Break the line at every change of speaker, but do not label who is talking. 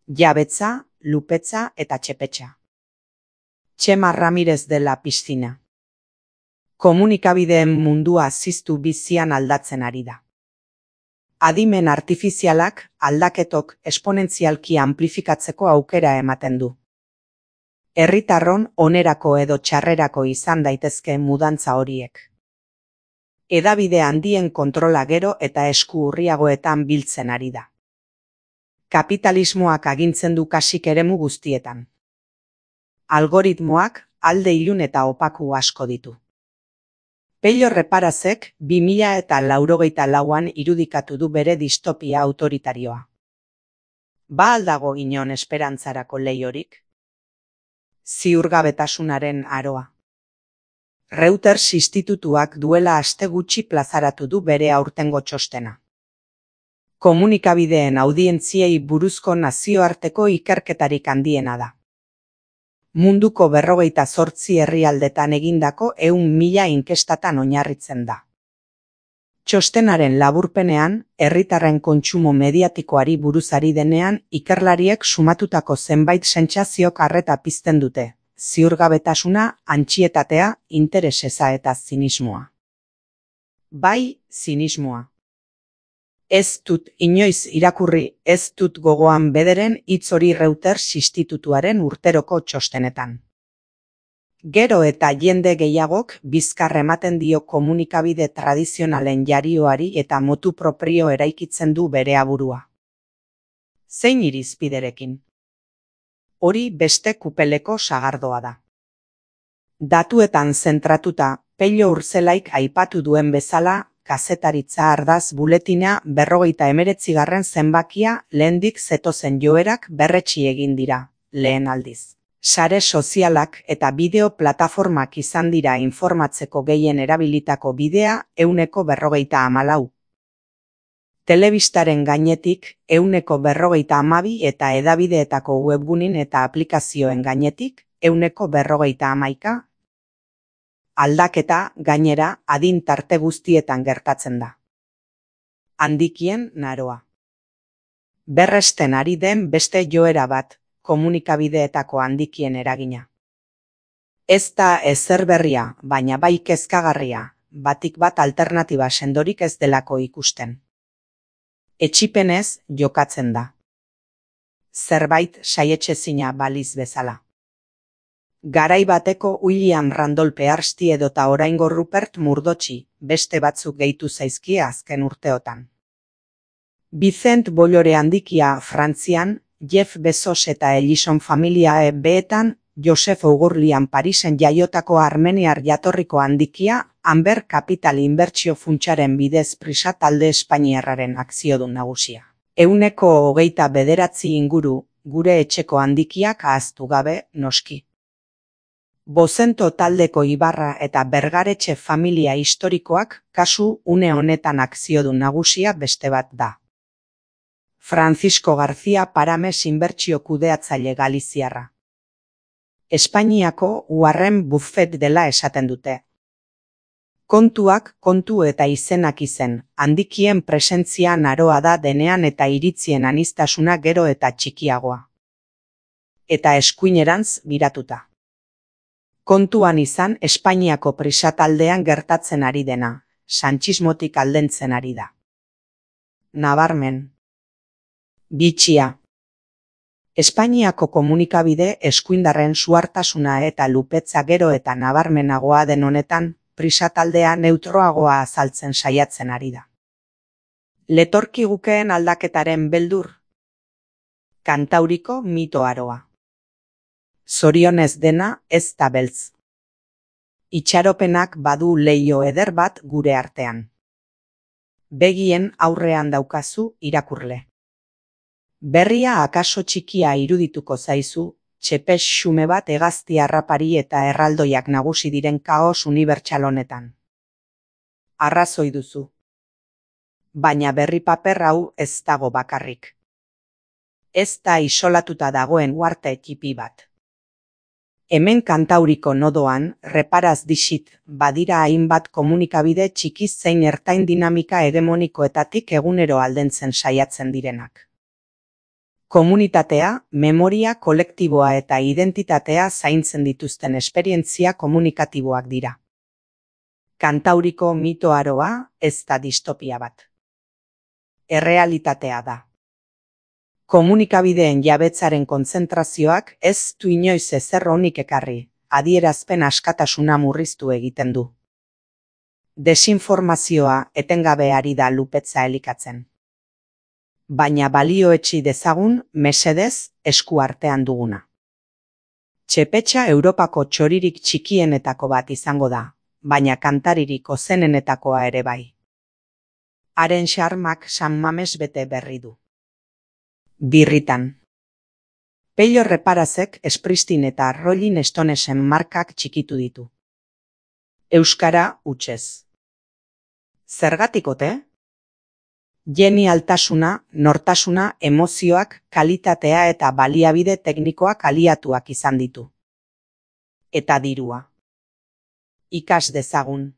Jabetza, Lupetza eta Txepetxa. Txema Ramirez de la Piscina. Komunikabideen mundua ziztu bizian aldatzen ari da. Adimen artifizialak aldaketok esponentzialki amplifikatzeko aukera ematen du. Herritarron onerako edo txarrerako izan daitezke mudantza horiek. Hedabide handien kontrola gero eta esku urriagoetan biltzen ari da. Kapitalismoak agintzen du kasik eremu guztietan. Algoritmoak alde ilun eta opaku asko ditu. Pello Reparazek 2084an irudikatu du bere distopia autoritarioa. Ba al dago inon esperantzarako leiorik? Ziurgabetasunaren aroa. Reuters institutuak duela aste gutxi plazaratu du bere aurtengo txostena. Komunikabideen audientziei buruzko nazioarteko ikerketarik handiena da. Munduko 58 herrialdetan egindako 100.000 inkestatan oinarritzen da. Txostenaren laburpenean, herritarren kontsumo mediatikoari buruz ari denean, ikerlariek sumatutako zenbait sentsaziok arreta pizten dute, ziurgabetasuna, antsietatea, interes eza eta zinismoa. Bai, zinismoa. Ez dut inoiz irakurri, ez dut gogoan bederen hitz hori Reuters institutuaren urteroko txostenetan. Gero eta jende gehiagok bizkar ematen dio komunikabide tradizionalen jarioari eta motu proprio eraikitzen du bere aburua. Zein irizpiderekin? Hori beste kupeleko sagardoa da. Datuetan zentratuta, Pello Urzelaik aipatu duen bezala, kazetaritza ardaz buletina 59. zenbakia lehendik zetozen joerak berretsi egin dira, lehen aldiz. Sare sozialak eta bideo plataformak izan dira informatzeko gehien erabilitako bidea 154. Telebistaren gainetik 152 eta hedabideetako webgunin eta aplikazioen gainetik 151. Aldaketa, gainera, adin tarte guztietan gertatzen da. Handikien naroa. Berresten ari den beste joera bat, komunikabideetako handikien eragina. Ez da ezer berria, baina bai kezkagarria, batik bat alternatiba sendorik ez delako ikusten. Etsipenez jokatzen da. Zerbait saietsezina baliz bezala. Garai bateko William Randolph Pearce edota oraingo Rupert Murdochi, beste batzuk gehitu zaizkie azken urteotan. Vicent Bollore handikia Frantzian, Jeff Bezos eta Ellison familia beetan, Joseph Ougurlian Parisen jaiotako armeniar jatorriko handikia, Amber Capital inbertsio funtsaren bidez Prisa talde espainiarraren akziodun nagusia. 29 inguru, gure etxeko handikiak ahaztu gabe, noski. Bozento taldeko Ibarra eta Bergaretxe familia historikoak kasu une honetan akziodun nagusia beste bat da. Francisco García Parames inbertsio kudeatzaile galiziarra. Espainiako Warren Buffett dela esaten dute. Kontuak kontu eta izenak izen, handikien presentzia naroa da denean eta iritzien aniztasuna gero eta txikiagoa. Eta eskuinerantz biratuta. Kontuan izan Espainiako Prisa taldean gertatzen ari dena, sanchismotik aldentzen ari da. Nabarmen. Bitxia. Espainiako komunikabide eskuindarren suhartasuna eta lupetza gero eta nabarmenagoa den honetan, Prisa taldea neutroagoa azaltzen saiatzen ari da. Letorkigukeen aldaketaren beldur. Kantauriko mito aroa. Zorionez dena ez da beltz. Itxaropenak badu leio eder bat gure artean. Begien aurrean daukazu irakurle. Berria akaso txikia irudituko zaizu, txepes xume bat hegazti harrapari eta erraldoiak nagusi diren kaos unibertsal honetan. Arrazoi duzu. Baina berri paper hau ez dago bakarrik. Ez da isolatuta dagoen uarte txipi bat. Hemen kantauriko nodoan, reparaz dixit, badira hainbat komunikabide txikiz zein ertain dinamika hegemonikoetatik egunero aldentzen saiatzen direnak. Komunitatea, memoria kolektiboa eta identitatea zaintzen dituzten esperientzia komunikatiboak dira. Kantauriko mito aroa ez da distopia bat. Errealitatea da. Komunikabideen jabetzaren kontzentrazioak ez du inoiz ezer onik ekarri, adierazpen askatasuna murriztu egiten du. Desinformazioa etengabe ari da lupetza elikatzen. Baina balioetsi dezagun, mesedez, esku artean duguna. Txepetxa Europako txoririk txikienetako bat izango da, baina kantaririk ozenenetakoa ere bai. Haren xarmak San Mames bete berri du. Birritan. Pello Reparazek Springsteen eta Rolling Stonesen markak txikitu ditu. Euskara hutsez. Zergatik ote? Genialtasuna, nortasuna, emozioak, kalitatea eta baliabide teknikoak aliatuak izan ditu. Eta dirua. Ikas dezagun.